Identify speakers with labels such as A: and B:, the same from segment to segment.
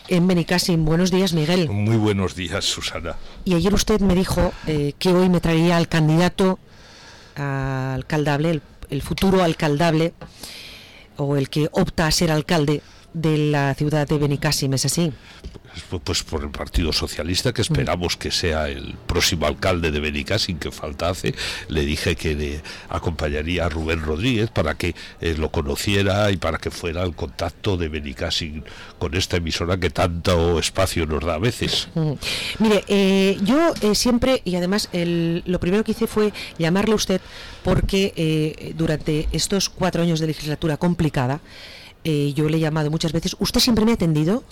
A: en Benicàssim. Buenos días, Miguel.
B: Muy buenos días, Susana.
A: Y ayer usted me dijo que hoy me traería al candidato alcaldable, el futuro alcaldable, o el que opta a ser alcalde de la ciudad de Benicàssim, ¿es así?
B: Pues por el Partido Socialista, que esperamos que sea el próximo alcalde de Benicàssim, que falta hace. Le dije que le acompañaría a Rubén Rodríguez para que lo conociera y para que fuera el contacto de Benicàssim con esta emisora que tanto espacio nos da a veces.
A: Mire, yo siempre, y además lo primero que hice fue llamarle a usted porque durante estos 4 años de legislatura complicada, yo le he llamado muchas veces, usted siempre me ha atendido.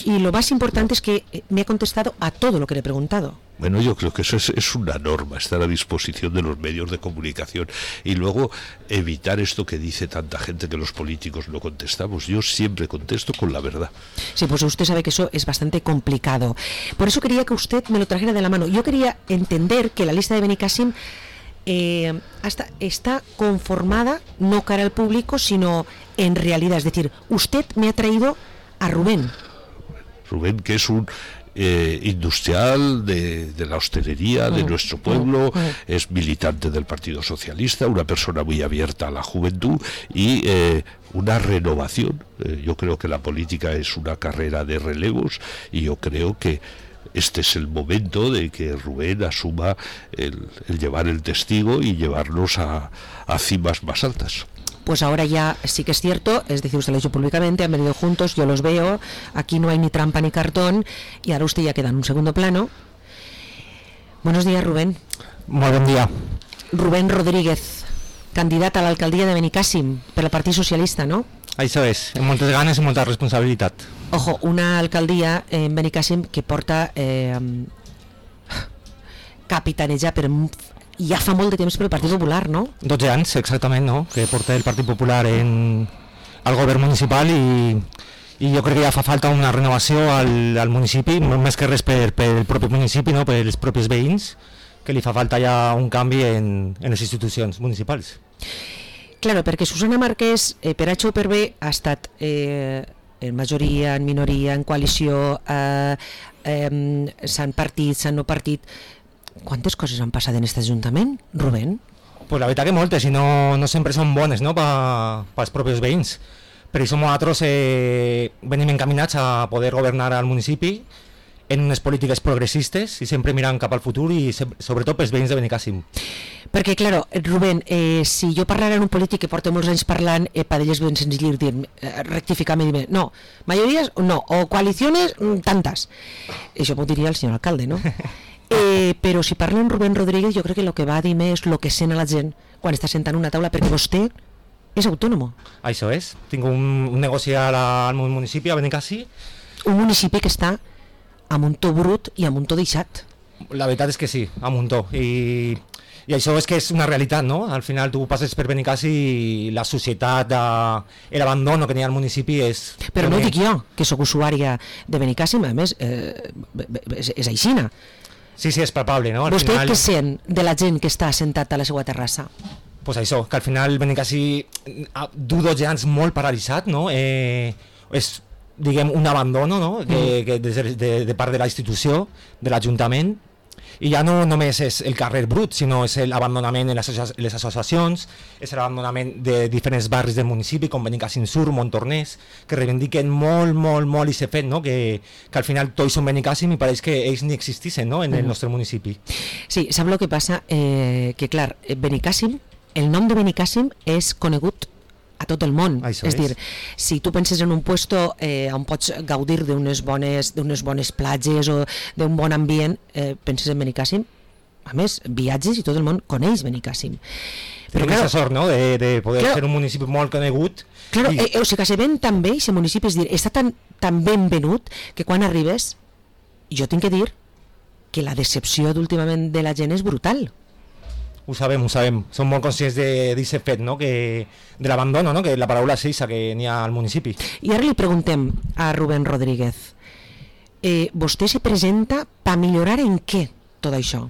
A: Y lo más importante es que me ha contestado a todo lo que le he preguntado.
B: Bueno, yo creo que eso es una norma, estar a disposición de los medios de comunicación y luego evitar esto que dice tanta gente que los políticos no contestamos. Yo siempre contesto con la verdad. Sí,
A: pues usted sabe que eso es bastante complicado. Por eso quería que usted me lo trajera de la mano. Yo quería entender que la lista de Benicàssim está conformada no cara al público, sino en realidad. Es decir, usted me ha traído a Rubén,
B: que es un industrial de la hostelería de nuestro pueblo, es militante del Partido Socialista, una persona muy abierta a la juventud y una renovación. Yo creo que la política es una carrera de relevos y yo creo que este es el momento de que Rubén asuma el llevar el testigo y llevarnos a cimas más altas.
A: Pues ahora ya sí que es cierto, es decir, usted lo ha dicho públicamente, han venido juntos, yo los veo, aquí no hay ni trampa ni cartón, y ahora usted ya queda en un segundo plano. Buenos días, Rubén.
C: Muy buen día.
A: Rubén Rodríguez, candidata a la alcaldía de Benicàssim per al Partit Socialista, ¿no?
C: Això és, amb moltes ganes i molta responsabilitat.
A: Ojo, una alcaldía en Benicàssim que porta capitanejar per ja fa molt de temps per el Partit Popular, no?
C: 12 anys, exactament, no? Que porta el Partit Popular al govern municipal i jo crec que ja fa falta una renovació al municipi, més que res per el propi municipi, no? Per els propis veïns, que li fa falta ja un canvi en les institucions municipals.
A: Claro, perquè Susana Marquès, per H o per B, ha estat en majoria, en minoria, en coalició, s'han partit, s'han no partit. Quantes coses han passat en aquest Ajuntament, Rubén?
C: Pues la veritat que moltes, i no sempre són bones, no?, pels propis veïns. Per això nosaltres venim encaminats a poder governar al municipi en unes polítiques progressistes i sempre mirant cap al futur i sobretot pels veïns de Benicàssim.
A: Perquè, claro, Rubén, si jo parlara en un polític que porta molts anys parlant, per ell és ben senzill rectificar-me i dir, no, majories no, o coaliciones tantes. Això m'ho diria el senyor alcalde, no? Però si parla amb Rubén Rodríguez, jo crec que el que va a dir més és el que sent a la gent quan està sentant una taula, perquè vostè és autònom.
C: Això és, tinc un negoci al municipi, a Benicàssim.
A: Un municipi que està a muntó brut i a muntó deixat.
C: La veritat és que sí, a muntó, i això és que és una realitat, no? Al final tu passes per Benicàssim i la societat, l'abandono que n'hi ha al municipi és...
A: Però no ho dic jo, que sóc usuària de Benicàssim, a més, és aixina.
C: Sí, és palpable, no?
A: Vostè què sent de la gent que està assentat a la seva terrassa?
C: Pues això, que al final Benicàssim du 12 anys molt paralitzat, no? És, diguem, un abandono, no? Que de part de la institució, de l'Ajuntament, i ja no només és el carrer brut, sinó és l'abandonament en les associacions, és l'abandonament de diferents barris del municipi, com Benicàssim Sur, Montornès, que reivindiquen molt i s'ha fet, no? Que al final tots són Benicàssim i pareix que ells ni existissin, no? En el nostre municipi.
A: Sí, sap el que passa? Que clar, Benicàssim, el nom de Benicàssim és conegut a tot el món.
C: Això
A: és dir, si tu penses en un puesto on pots gaudir d'unes bones platges o d'un bon ambient, penses en Benicàssim. A més, viatges i tot el món coneix Benicàssim.
C: Però aquesta sort, no?, de poder ser un municipi molt conegut.
A: Claro, o sigui que se ven tan bé, aquest municipi, és dir, està tan ben venut que quan arribes, jo tinc que dir que la decepció d'últimament de la gent és brutal.
C: Ho sabem. Som molt conscients d'aquest fet, no? De l'abandono, no? Que la paraula és eixa que n'hi ha al municipi.
A: I ara li preguntem a Rubén Rodríguez, vostè se presenta per millorar en què tot això?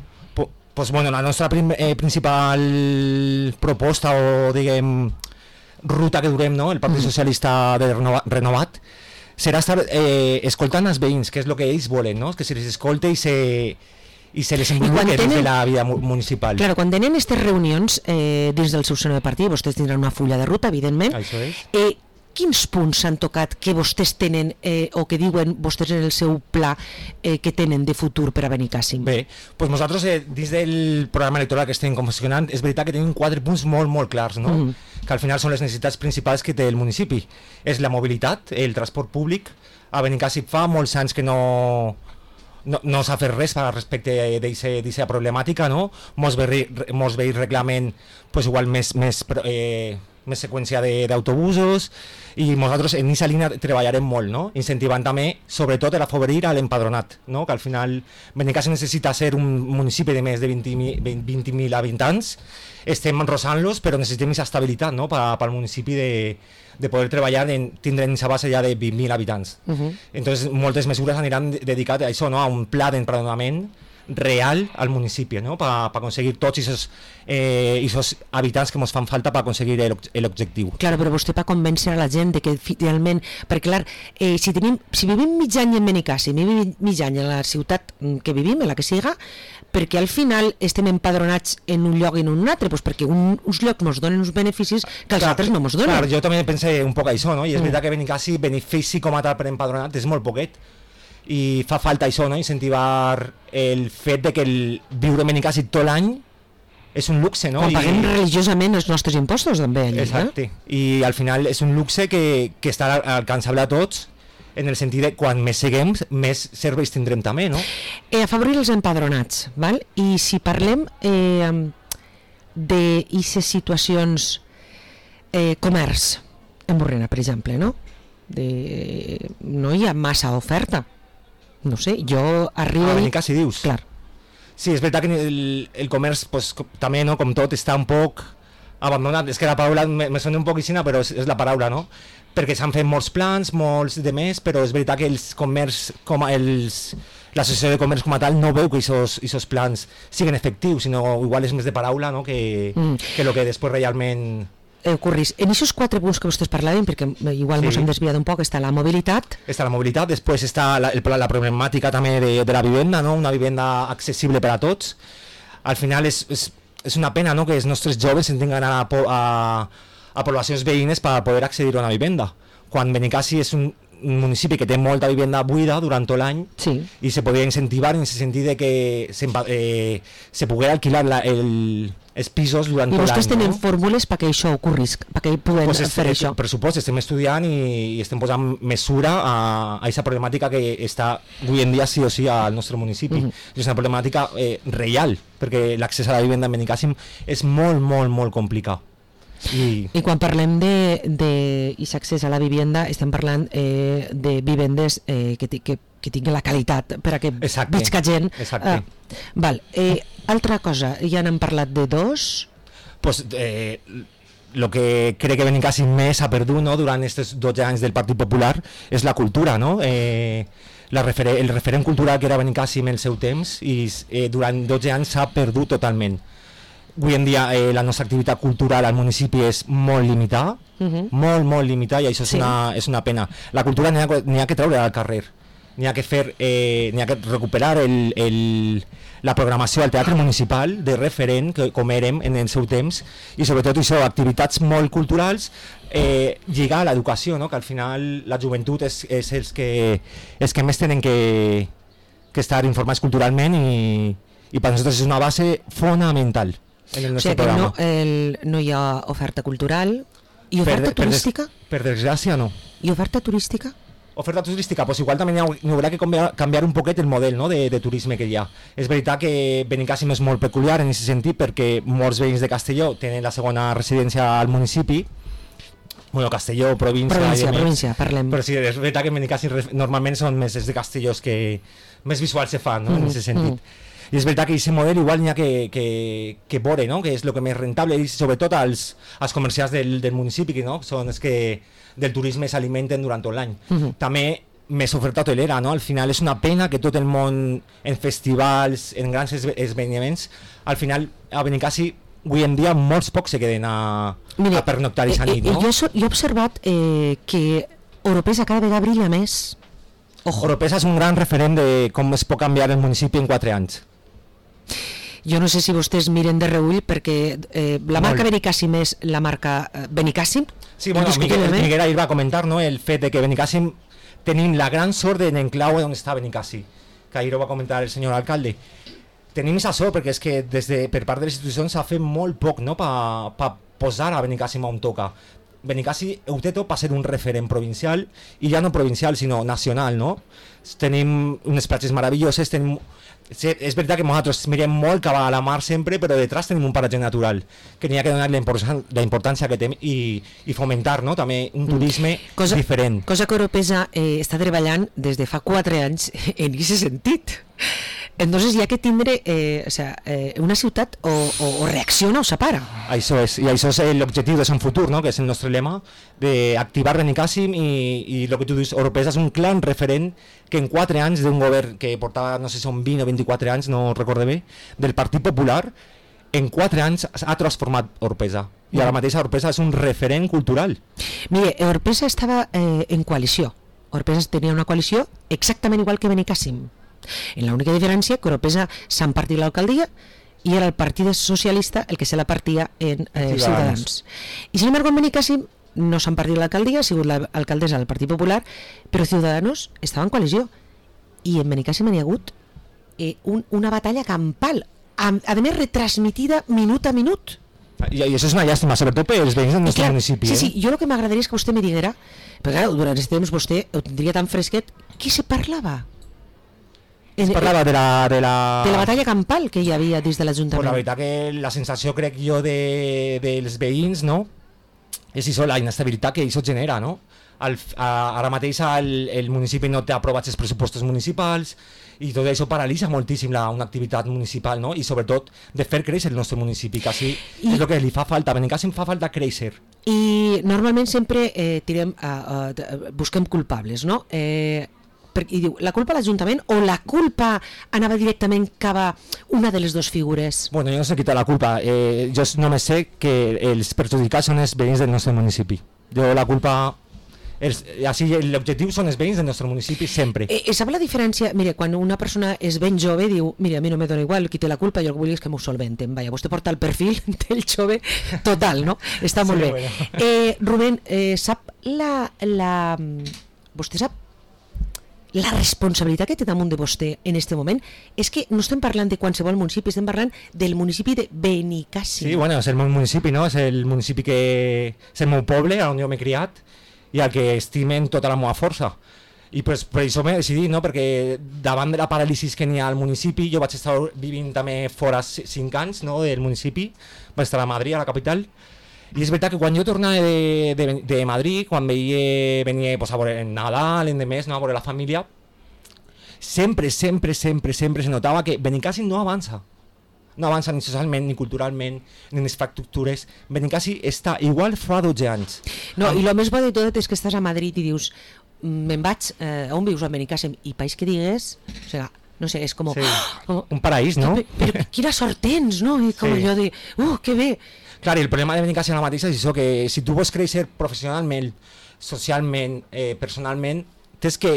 C: Pues bueno, la nostra principal proposta o, diguem, ruta que durem, no? El Partit Socialista de Renovat serà estar escoltant els veïns, que és el que ells volen, no? Que se les escolte i se les envolupe dins de la vida municipal.
A: Claro, quan tenen aquestes reunions dins del seu seno de partit, vostès tindran una fulla de ruta, evidentment.
C: Això és.
A: Quins punts s'han tocat que vostès tenen o que diuen vostès en el seu pla que tenen de futur per a Benicàssim?
C: Bé, doncs nosaltres dins del programa electoral que estem confeccionant és veritat que tenim 4 punts molt clars, no? Que al final són les necessitats principals que té el municipi. És la mobilitat, el transport públic. A Benicàssim fa molts anys que no s'ha fet res respecte d'aquesta problemàtica, no? Molts veïns reclamen pues, igual més seqüència d'autobusos, i nosaltres en aquesta línia treballarem molt, no? Incentivant també, sobretot, a afavorir a l'empadronat, no? Que al final Benicàssim necessita ser un municipi de més de 20.000 habitants, estem enrosant-los, però necessitem aquesta estabilitat, no? Pel municipi de poder treballar tindre aquesta base ja de 20.000 habitants. Entonces, moltes mesures aniran dedicades a això, no? A un pla d'empadronament real al municipi, ¿no? Para conseguir tots esos habitants que ens fan falta per aconseguir l'objectiu.
A: Claro, però vostè per convèncer a la gent de que finalment, perquè clar, si vivim mig any en Benicàssim, vivim mig any en la ciutat que vivim, en la que siga, perquè al final estem empadronats en un lloc i en un altre, doncs perquè uns llocs ens donen uns beneficis que els altres no ens donen.
C: Clar, jo també pensé un poc això, no? I és veritat que Benicàssim, benefici com a tal per empadronat és molt poquet, i fa falta això, no? Incentivar el fet de que viure a Benicàssim tot l'any és un luxe, no?
A: Quan paguem religiosament els nostres impostos també allà.
C: Exacte, i al final és un luxe que està alcançable a tots, en el sentit de quan més seguem, més serveis tindrem també, no?
A: Afavorir els empadronats, val? I si parlem d'aquestes situacions, comerç en Borrena, per exemple, no? No hi ha massa oferta. No sé, jo arribo...
C: A Benicàssim, dius?
A: Clar.
C: Sí, és veritat que el comerç, pues, també, no, com tot, està un poc abandonat. És que la paraula me sona un poc aixina, però és la paraula, no? Perquè s'han fet molts plans, molts de més, però és veritat que els comerç, l'associació de comerç com a tal no veu que aquests plans siguin efectius, sinó igual és més de paraula, no? que el que després realment...
A: ocorrís. En aquests 4 punts que vostès parlaven, perquè igual ens hem desviat un poc, està la mobilitat.
C: Està la mobilitat, després està la problemàtica també de la vivenda, no? Una vivenda accessible per a tots. Al final és una pena, no? Que els nostres joves tinguin d'anar a poblacions veïnes per poder accedir a una vivenda. Quan Benicàssim és un municipi que té molta vivenda buida durant tot l'any,
A: sí.
C: I se podria incentivar en el sentit de que se poguera alquilar els pisos durant tot l'any.
A: I vostès tenen fórmules perquè això ocorris, perquè puguin fer això?
C: Per supost, estem estudiant i estem posant mesura a aquesta problemàtica que està avui en dia sí o sí al nostre municipi. És una problemàtica real, perquè l'accés a la vivenda en Benicàssim és molt complicat. I
A: quan parlem d'aquest accés a la vivenda estem parlant de vivendes que tinguin la qualitat per a que visca gent. Altra cosa, ja n'hem parlat de dos.
C: Pues, el que crec que Benicàssim més ha perdut, no, durant aquests 12 anys del Partit Popular és la cultura, no? El referent cultural que era Benicàssim en el seu temps i durant 12 anys s'ha perdut totalment. Avui en dia la nostra activitat cultural al municipi és molt limitada, molt limitada, i això és una pena. La cultura n'hi ha que treure al carrer, n'hi ha que recuperar la programació al teatre municipal de referent com érem en el seu temps, i sobretot això, activitats molt culturals, lligar a l'educació, no? Que al final la joventut és els que més tenen que estar informats culturalment, i per nosaltres és una base fonamental en el nostre programa.
A: No hi ha oferta cultural i oferta turística?
C: Per desgràcia no.
A: I oferta turística?
C: Oferta turística, pues igual també n'hi haurà que canviar un poquet el model, no, de turisme que hi ha. És veritat que Benicàssim és molt peculiar en aquest sentit, perquè molts veïns de Castelló tenen la segona residència al municipi. Bueno, Castelló, província, parlem. Però sí, és veritat que Benicàssim normalment són més de Castelló que més visuals se fan, no, en aquest sentit. I és veritat que aquest model igual n'hi ha que veure, no? Que és el que més rentable, i sobretot als comerciants del municipi, que no? Són els que del turisme s'alimenten durant tot l'any. També més oferta hotelera, no? Al final és una pena que tot el món, en festivals, en grans esdeveniments, al final a Benicàssim avui en dia molts pocs se queden a pernoctar aquesta nit, no?
A: Jo he observat que Oropesa cada vegada brilla més. Ojo.
C: Oropesa és un gran referent de com es pot canviar el municipi en 4 anys.
A: Jo no sé si vostès miren de reull perquè la marca Benicàssim és la marca Benicàssim.
C: Sí, bueno, Miguel ahir va comentar, no, el fet de que Benicàssim tenim la gran sort de l'enclau on està Benicàssim, que ahir ho va comentar el senyor alcalde. Tenim aquesta sort perquè és que per part de les institucions s'ha fet molt poc, no, per posar a Benicàssim on toca. Benicàssim ho té tot per ser un referent provincial, i ja no provincial sinó nacional, no? Tenim unes platges meravelloses, és veritat que nosaltres mirem molt cap a la mar sempre, però detrás tenim un paratge natural que n'hi ha que donar la importància que té i fomentar, no, també un turisme diferent.
A: Cosa que Oropesa està treballant des de fa 4 anys en aquest sentit. Entonces hi ha que tindre una ciutat o reacciona o separa.
C: Això és, i això és l'objectiu de Son Futur, no? Que és el nostre lema, d'activar Benicàssim, i el que tu dius, Oropesa és un clar referent que en 4 anys d'un govern que portava, no sé si són 20 o 24 anys, no recordo bé, del Partit Popular, en 4 anys ha transformat Oropesa. I ara mateix Oropesa és un referent cultural.
A: Mire, Oropesa estava en coalició. Oropesa tenia una coalició exactament igual que Benicàssim. En la única diferència que Oropesa s'han partit l'alcaldia i era el Partit Socialista el que se la partia en Ciutadans. I sin embargo en Benicàssim no s'han partit l'alcaldia, ha sigut l'alcaldessa del Partit Popular, però Ciudadanos estava en coalició. I en Benicàssim hi ha hagut una batalla campal, a més retransmitida minut a minut.
C: I això és una llàstima, sobretot per els veïns del nostre municipi.
A: Sí, jo el que m'agradaria és que vostè me diguera, perquè durant aquest temps vostè ho tindria tan fresquet, què se parlava?
C: Es parlava de la
A: batalla campal que hi havia dins de l'Ajuntament.
C: La veritat que la sensació, crec jo, dels veïns, no, és això, la inestabilitat que això genera, no? Ara mateix el municipi no té aprovats els pressupostos municipals i tot això paralitza moltíssim una activitat municipal, no? I sobretot de fer créixer el nostre municipi, que així és el que li fa falta. A Benicàssim fa falta créixer.
A: I normalment sempre busquem culpables, no? I diu, la culpa a l'Ajuntament o la culpa anava directament cap a una de les dues figures?
C: Bueno, jo no sé qui té la culpa, jo només sé que els perjudicats són els veïns del nostre municipi. Jo la culpa, l'objectiu són els veïns del nostre municipi sempre.
A: Sap la diferència? Mira, quan una persona és ben jove diu, mira, a mi no me dona igual qui té la culpa, jo el que vull és que m'ho solventen. Vaja, vostè porta el perfil del jove total, no? Està molt bé. Bueno. Rubén, sap vostè sap la responsabilitat que té damunt de vostè en aquest moment? És que no estem parlant de qualsevol municipi, estem parlant del municipi de Benicàssim.
C: Sí, bueno, és el meu municipi, no? És el municipi que és el meu poble, on jo m'he criat i al que estimen tota la meva força. I per això m'he decidit, no? Perquè davant de la paràlisi que n'hi ha al municipi, jo vaig estar vivint també fora 5 anys, no? Del municipi, vaig estar a Madrid, a la capital. I és veritat que quan jo tornava de Madrid, quan venia pues, a veure Nadal, endemés, no, a veure la família, sempre se notava que Benicàssim no avança. No avança ni socialment, ni culturalment, ni en infraestructures. Benicàssim està igual fa 12 anys.
A: No, i el més bo de tot és que estàs a Madrid i dius, me'n vaig, on vius a Benicàssim? I país que digues, o sigui, no sé, és com...
C: Sí, un paraís, no?
A: Però quina sort tens, no? I com allò de, que bé.
C: Clar, i el problema de Benicàssim ara mateix és això, que si tu vols créixer professionalment, socialment, personalment, tens que,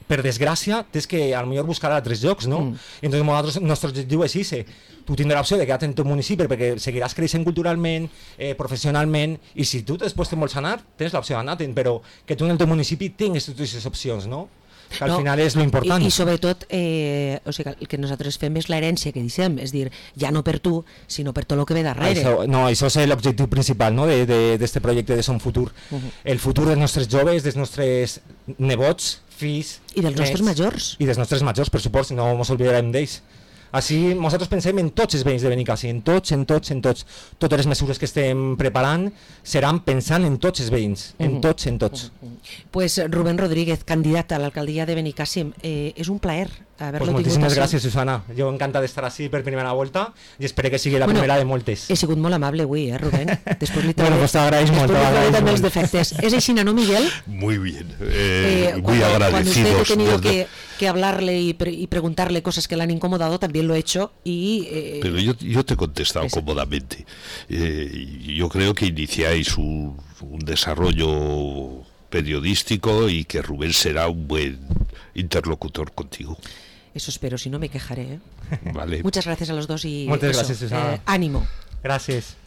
C: per desgràcia, tens que a lo millor buscar a altres llocs, no? I entonces el nostre objectiu és això. Tu tindràs l'opció de quedar-te en teu municipi perquè seguiràs creixent culturalment, professionalment, i si tu després te vols anar, tens l'opció d'anar-te'n, però que tu en el teu municipi tinguis totes aquestes opcions, no? Que al final és l'important.
A: I sobretot, o sigui, el que nosaltres fem és l'herència que deixem, és dir, ja no per tu, sinó per tot el que ve darrere.
C: Això és l'objectiu principal, no?, d'aquest projecte de Son Futur. El futur dels nostres joves, dels nostres nebots, fills...
A: I dels nostres majors.
C: I dels nostres majors, per supost, no ens oblidarem d'ells. Així nosaltres pensem en tots els veïns de Benicàssim, en tots. Totes les mesures que estem preparant seran pensant en tots els veïns, en tots.
A: Pues Rubén Rodríguez, candidat a l'alcaldia de Benicàssim, és un plaer haver-lo tingut.
C: Moltíssimes gràcies, Susana. Jo encantat d'estar així per primera volta i espero que sigui la primera de moltes.
A: He sigut molt amable avui, Rubén.
C: Després li t'agraeix molt.
A: També els defectes. És així, ¿no, Miguel?
B: Muy bien. Muy agradecidos.
A: Cuando usted ha tenido que hablarle y preguntarle cosas que le han incomodado, también lo he hecho y...
B: Pero yo te he contestado cómodamente. Yo creo que iniciáis un desarrollo periodístico y que Rubén será un buen interlocutor contigo.
A: Eso espero, si no me quejaré.
B: Vale.
A: Muchas gracias a los dos y
C: Muchas gracias, Susana.
A: ánimo.
C: Gracias.